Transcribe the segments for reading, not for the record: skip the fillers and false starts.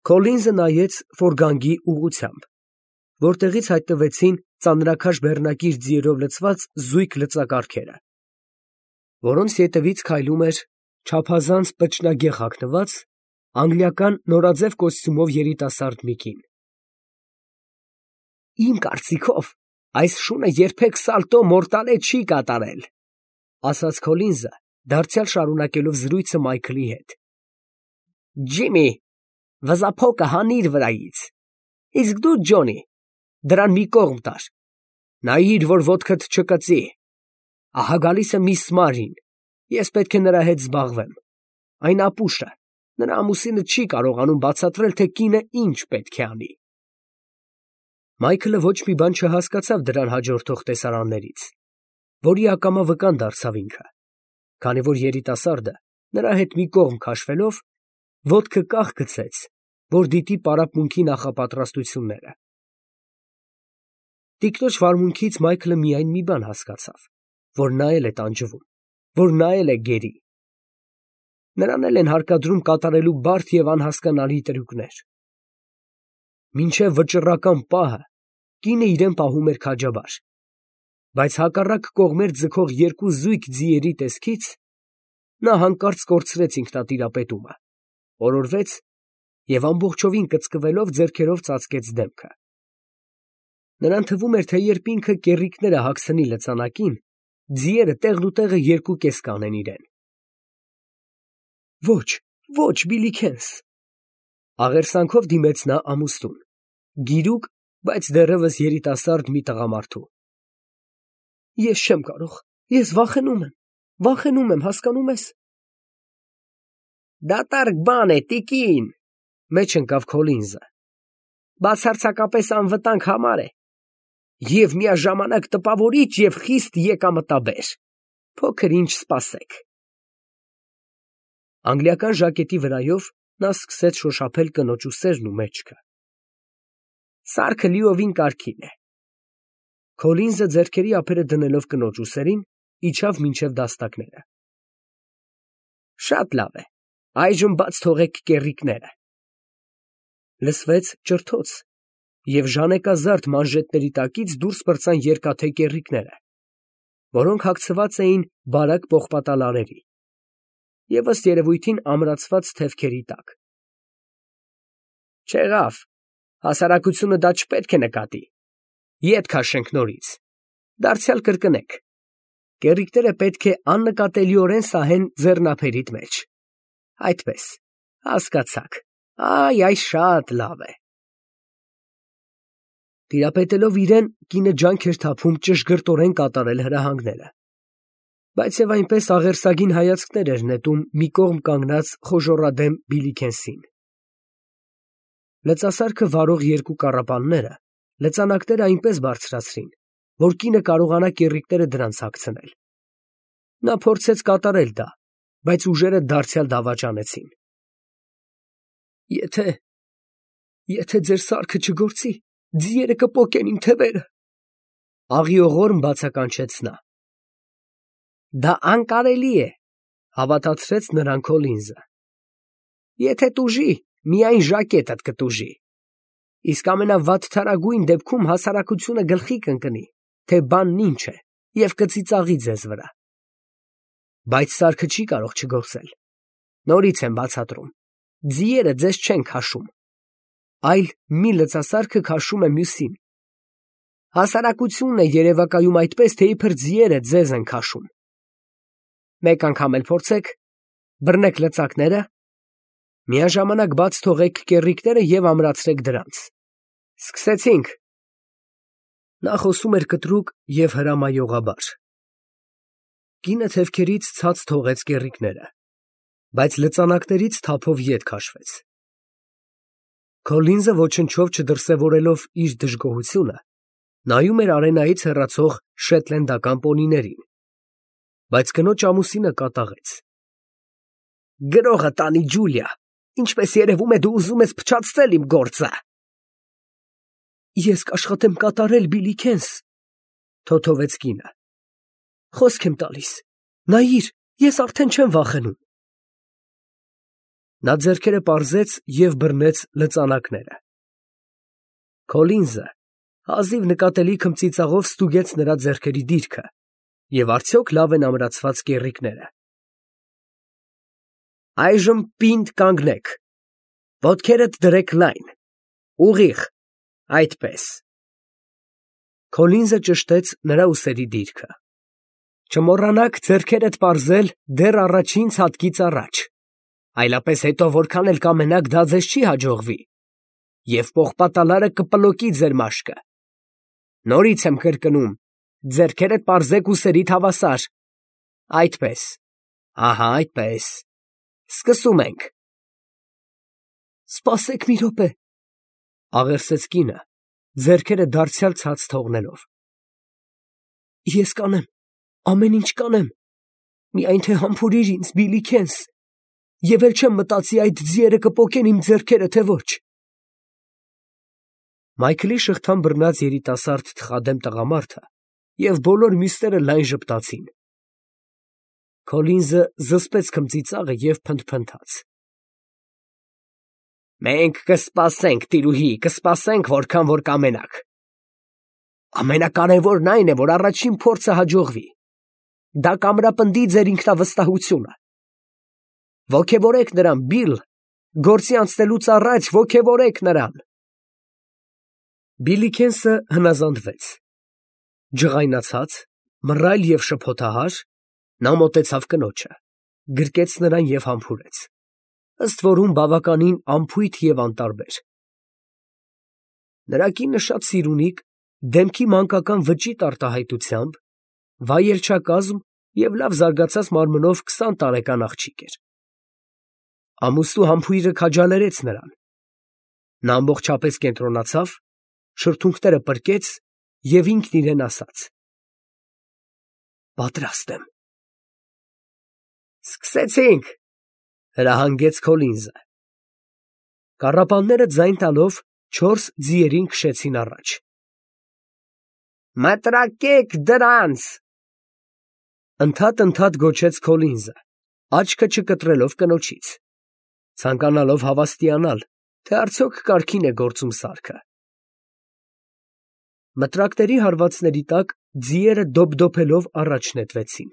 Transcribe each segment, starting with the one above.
Քոլինզը նայեց ֆորգանգի ուղղությամբ, որտեղից հայտնվեցին ծանրաքաշ բեռնակիր ձիերով լցված զույգ լծակառքերը, որոնց ետևից քայլում էր չափազանց պճնագեղ հագնված անգլիական նորաձև կոստյումով երիտասարդ մի կին։ Իմ կարծիքով, այս շունը երբեք սալտո մորտալե չի կատարել, ասաց Քոլինզը, դարձյալ շարունակելով զրույցը Մայքլի հետ։ Ջիմի, վզափոկը հանիր վրայից, իսկ դու, Ջոնի, դրան մի կողմ տար, նայիր, որ ոտքդ չկծի, ահա գալիս է միս Մարին, ես պետք է նրա հետ զբաղվեմ, այն ապուշ է, նրա ամուսինը չի կարողանում բացատրել, թե կինը ինչ պետք է անի։ Մայքլը ոչ մի բան չհասկացավ դրան հաջորդող տեսարաններից, որի ակամա վկան դարձավ ինքը, քանի որ երիտասարդը նրա հետ մի կողմ քաշվելով ոտքը կախ գցեց, որ դիտի պարապմունքի նախապատրաստությունները։ Տիկնոջ վարմունքից Մայքլը միայն մի բան հասկացավ, որ նա էլ է տանջվում, որ նա էլ է գերի։ Նրան էլ են հարկադրում կատարելու բարդ և անհասկանալի տրյուկներ։ Մինչև վճռական պահը կինը իրեն պահում էր քաջաբար, բայց հակառակ կողմեր ձգող երկու զույգ ձիերի տեսքից նա հանկարծ կորցրեց ինքնատիրապետումը, օրորվեց և ամբողջովին կծկվելով ձեռքերով ծածկեց դեմքը։ Նրան թվում էր, թե երբ ինքը կեռիկները հագցնի լծանակին, ձիերը տեղնուտեղը երկու կես կանեն իրեն։ Ոչ, ոչ, Բիլիքենս, աղերսանքով դիմեց նա ամուսնուն, գիրուկ, բայց դեռևս երիտասարդ մի տղամարդու։ Ես չեմ կարող, ես վախենում եմ, հասկանում ես։ Դատարկ բան է, տիկին, մեջ ընկավ Քոլինզը, բացարձակապես անվտանգ համար է, և միաժամանակ տպավորիչ և խիստ եկամտաբեր, փոքր ինչ սպասեք։ Անգլիական ժակետի վրայով նա սկսեց շոշափել կնոջ ուսերն ու մեջքը։ Սարքը լիովին կարգին է։ Քոլինզը ձեռքերի ափերը դնելով կնոջ ուսերին, իջավ մինչև դաստակները։ Շատ լավ է, այժմ բաց թողեք կեռիկները։ Լսվեց ճրթոց, և ժանեկազարդ մանժետների տակից դուրս պրծան երկաթե կեռիկները, որոնք հագցված էին բարակ պողպատալարերի և ըստ երևույթին ամրացված թևքերի տակ։ Չեղավ, հասարակությունը դա չպետք է նկատի, ետ քաշենք նորից, դարձյալ կրկնեք, կեռիկները պետք է աննկատելիորեն սահեն ձեռնափերիդ մեջ, այդպես, հասկացաք, այս շատ լավ է։ Տիրապետելով իրեն, կինը ջանք էր թափում ճշգրտորեն կատարել հրահանգները, բայց և այնպես աղերսագին հայացքներ էր նետում մի կողմ կանգնած խոժոռադեմ Բիլիքենսին։ Լծասարքը վարող երկու կառապանները լծանակները այնպես բարձրացրին, որ կինը կարողանա կեռիկները դրանց հագցնել։ Նա փորձեց կատարել դա, բայց ուժերը դարձյալ դավաճանեցին։ Եթե ձեր սարքը չգործի, ձիերը կպոկեն իմ թևերը, աղիողորմ բացականչեց նա։ Դա անկարելի է, հավատացրեց նրան Քոլինզը։ Եթե տուժի, միայն ժակետդ կտուժի, իսկ ամենավատթարագույն դեպքում հասարակությունը գլխի կընկնի, թե բանն ինչ է, և կծիծաղի ձեզ վրա։ Բայց սարքը չի կարող չգործել, նորից եմ բացատրում, ձիերը ձեզ չեն քաշում, այլ մի լծասարքը քաշում է մյուսին։ Հասարակությունն է երևակայում այդպես, թե իբր ձիերը ձեզ են քաշում։ Մեկ անգամ էլ փորձեք, բռնեք լծակները, միաժամանակ բաց թողեք կեռիկները և ամրացրեք դրանց։ Սկսեցինք։ Նա խոսում էր կտրուկ և հրամայողաբար։ Կինը թևքերից ցած թողեց կեռիկները, բայց լծանակներից թափով ետ քաշվեց։ Քոլինզը ոչնչով չդրսևորելով իր դժգոհությունը, նայում էր արենայից հեռացող շեթլենդական պոնիներին, բայց կնոջ ամուսինը կատաղեց։ Գրողը տանի, Ջուլիա, ինչպես երևում է, դու ուզում ես փչացնել իմ գործը։ Ես կաշխատեմ կատարել, Բիլիքենս, թոթովեց կինը։ Խոսք եմ տալիս, նայիր, ես արդեն չեմ վախենում։ Նա ձեռքերը պարզեց և բռնեց լծանակները։ Քոլինզը հազիվ նկատելի քմծիծաղով ստուգեց նրա ձեռքերի դիրքը և արդյոք լավ են ամրացված կեռիկները։ Այժմ պինդ կանգնեք, ոտքերդ դրեք լայն, ուղիղ, այդպես։ Քոլինզը ճշտեց նրա ուսերի դիրքը։ Չմոռանաք ձեռքերդ պարզել դեռ առաջին ցատկից առաջ, այլապես հետո որքան էլ կամենաք դա ձեզ չի հաջողվի, և պողպատալարը կպլոկի ձեր մաշկը։ Նորից եմ կրկնում, ձեռքերդ պարզեք ուսերիդ հավասար, այդպես, ահա այդպես, սկսում ենք։ Սպասեք մի րոպե, աղերսեց կինը, ձեռքերը դարձյալ ցած թողնելով։ Ես կանեմ, ամեն ինչ կանեմ, միայն թե համբուրիր ինձ, Բիլլի Քենս, և էլ չեմ մտածի այդ ձիերը կպոկեն իմ ձեռքերը, թե ոչ։ Մայքլի շղթան բռնած երիտասարդ թխադեմ տղամարդը և բոլոր մյուսները լայն ժպտացին։ Քոլինզը զսպեց քմծիծաղը և փնթփնթաց. Մենք կսպասենք, տիրուհի, կսպասենք, որքան որ կամենաք։ Ամենակարևորն այն է, որ առաջին փորձը հաջողվի։ Դա կամրապնդի ձեր ինքնավստահությունը։ Ոգևորեք նրան, Բիլ, գործի անցնելուց առաջ ոգևորեք նրան։ Բիլլի Քենսը հնազանդվեց։ Ջղայնացած, մռայլ և շփոթահար, նա մոտեցավ կնոջը, գրկեց նրան և համբուրեց, ըստ որում բավականին անփույթ և անտարբեր։ Նրա կինը շատ սիրունիկ, դեմքի մանկական վճիտ արտահայտությամբ, վայելչակազմ և լավ զարգացած մարմնով 20 տարեկան աղջիկ էր։ Ամուսնու համբույրը քաջալերեց նրան։ Նա ամբողջապես կենտրոնացավ, շրթունքները պրկեց և ինքն իրեն ասաց. Պատրաստ եմ։ Սկսեցինք, հրահանգեց Քոլինզը։ Կառապանները ձայն տալով 4 ձիերին քշեցին առաջ։ Մտրակեք դրանց, ընդհատ գոչեց Քոլինզը, աչքը չկտրելով կնոջից, ցանկանալով հավաստիանալ, թե արդյոք կարգին է գործում սարքը։ Մտրակների հարվածների տակ ձիերը դոփդոփելով առաջ նետվեցին,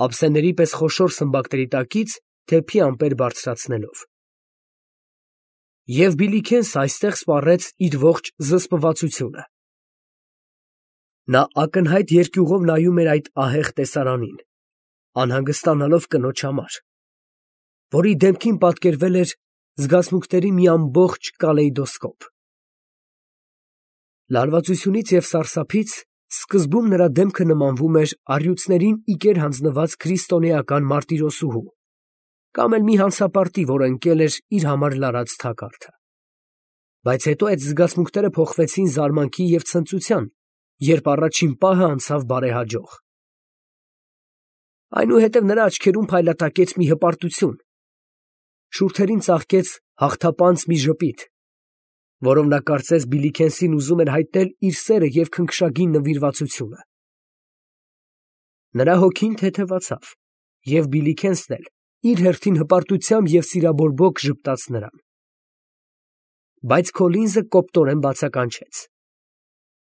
ափսեների պես խոշոր սմբակների տակից թեփի ամպեր բարձրացնելով։ Եվ Բիլլի Քենսը այստեղ սպառեց իր ողջ զսպվածությունը։ Նա ակնհայտ երկյուղով նայում էր այդ ահեղ տեսարանին, անհանգստանալով կնոջ համար, որի դեմքին պատկերվել էր զգացմունքների մի ամբողջ կալեյդոսկոպ։ Լարվածությունից և սարսափից սկզբում նրա դեմքը նմանվում էր առյուծներին իկեր հանձնված քրիստոնեական մարտիրոսուհու, կամ էլ մի հանցապարտի, որ ընկել էր իր համար լարած թակարդը։ Բայց հետո այդ զգացմունքները փոխվեցին զարմանքի և ցնծության, երբ առաջին պահը անցավ բարեհաջող։ Այնուհետև նրա աչքերում փայլատակեց մի հպարտություն, շուրթերին ծաղկեց հաղթապանծ մի ժպիտ, որով նա կարծես Բիլլի Քենսին ուզում էր հայտնել իր սերը և քնքշագին նվիրվածությունը։ Նրա հոգին թեթևացավ, և Բիլլի Քենսն էլ իր հերթին հպարտությամբ և սիրաբորբոք ժպտաց նրան։ Բայց Քոլինզը կոպտորեն բացականչեց.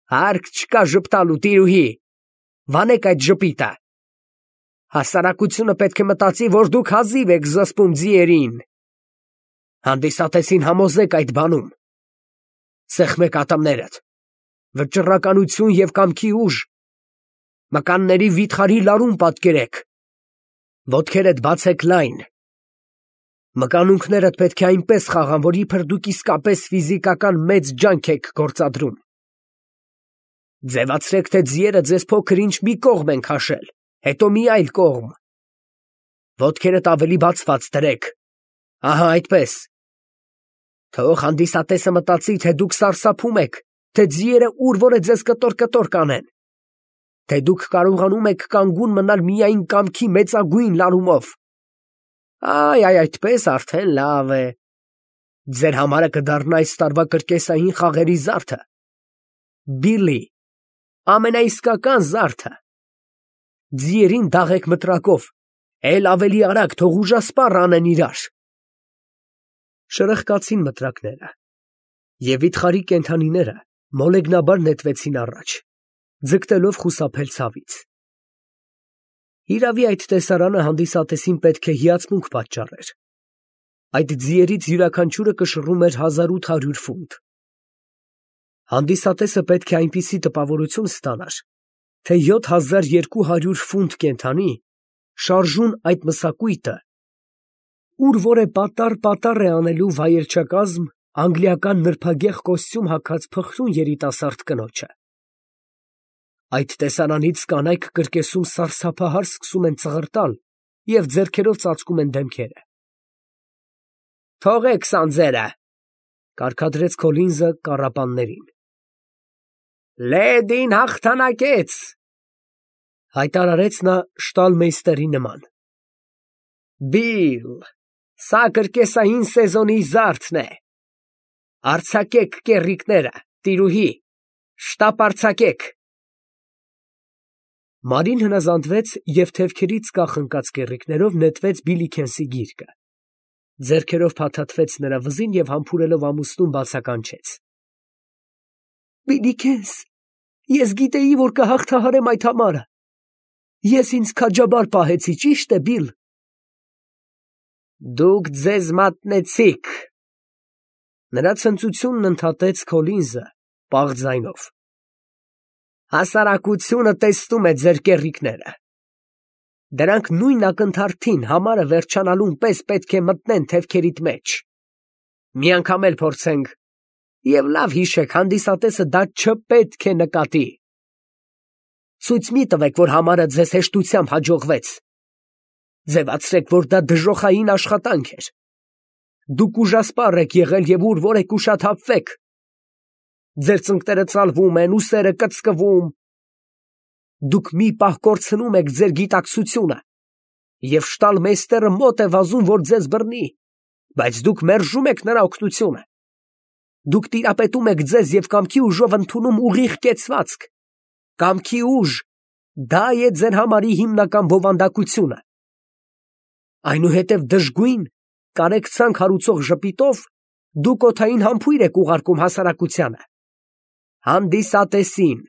Հարկ չկա ժպտալու, տիրուհի, վանեք այդ ժպիտը։ Հասարակությունը պետք է մտածի, որ դուք հազիվ եք զսպում ձիերին։ Հանդիսատեսին համոզեք այդ բանում։ Սեղմեք ատամներդ, վճռականություն և կամքի ուժ, մկանների վիթխարի լարում պատկերեք, ոտքերդ բացեք լայն, մկանունքներդ պետք է այնպես խաղան, որ իբր դուք իսկապես ֆիզիկական մեծ ջանք եք գործադրում։ Ձևացրեք, թե ձիերը ձեզ փոքր-ինչ մի կողմ են քաշել, հետո մի այլ կողմ, ոտքերդ ավելի բացված դրեք, ահա այդպես։ Թող հանդիսատեսը մտածի, թե դուք սարսափում եք, թե ձիերը ուր որ է ձեզ կտոր կանեն, թե դուք կարողանում եք կանգուն մնալ միայն կամքի մեծագույն լարումով։ Այդպես արդեն լավ է։ Ձեր համարը կդառնա այս տարվա կրկեսային խաղերի զարդը։ Բիլլի, ամենաիսկական զարդը։ Ձիերին դաղեք մտրակով, էլ ավելի արագ, թող ուժասպառ անեն իրար։ Շրխկացին մտրակները, և վիթխարի կենդանիները մոլեգնաբար նետվեցին առաջ, ձգտելով խուսափել ցավից։ Իրավի այդ տեսարանը հանդիսատեսին պետք է հիացմունք պատճառեր։ Այդ ձիերից յուրաքանչյուրը կշռում էր 1800 ֆունտ։ Հանդիսատեսը պետք է այնպիսի տպավորություն ստանար, թե 7200 ֆունտ կենդանի շարժուն այդ մսակույտը, ուր որ է պատառ է անելու վայելչակազմ անգլիական նրբագեղ կոստյում հագած փխրուն երիտասարդ կնոջը։ Այդ տեսարանից կանայք կրկեսում սարսափահար սկսում են ծղրտալ և ձեռքերով ծածկում են դեմքերը։ «Թողեք սանձերը», կարգադրեց Քոլինզը կառապաններին։ «Լեդին հաղթանակեց», հայտարարեց նա շտալմեյստերի նման։ «Բիլ, սա կրկեսային սեզոնի զարդն է։ Արձակեք կեռիկները, տիրուհի, շտապ արձակեք»։ Մարին հնազանդվեց և թևքերից կախ ընկած կեռիկներով նետվեց Բիլիքենսի գիրկը, ձեռքերով փաթաթվեց նրա վզին և համբուրելով ամուսնուն բացականչեց. «Բիլիքենս, ես գիտեի, որ կհաղթահարեմ այդ համարը։ Ես ինձ քաջաբար պահեցի, ճի՞շտ է, Բիլ»։ «Դուք ձեզ մատնեցիք», նրա ցնծությունն ընդհատեց Քոլինզը պաղ ձայնով։ «Հասարակությունը տեսնում է ձեր կեռիկները։ Դրանք նույն ակնթարթին համարը վերջանալուն պես պետք է մտնեն թևքերիդ մեջ։ Մի անգամ էլ փորձենք, և լավ հիշեք, հանդիսատեսը դա չպետք է նկատի։ Ցույց մի տվեք, որ համարը ձեզ հեշտությամբ հաջողվեց։ Ձևացրեք, որ դա դժոխային աշխատանք էր։ Դուք ուժասպառ եք եղել և ուր որ եք ուշաթափվեք։ Ձեր ծնկները ծալվում են, ուսերը կծկվում։ Դուք մի պահ կորցնում եք ձեր գիտակցությունը, և շտալմեյստերը մոտ է վազում, որ ձեզ բռնի, բայց դուք մերժում եք նրա օգնությունը։ Դուք տիրապետում եք ձեզ և կամքի ուժով ընդունում ուղիղ կեցվածք։ Կամքի ուժ, դա է ձեր համարի հիմնական բովանդակությունը։ Այնուհետև դժգույն, կարեկցանք հարուցող ժպիտով դուք օդային համբույր եք ուղարկում հասարակությանը, հանդիսատեսին,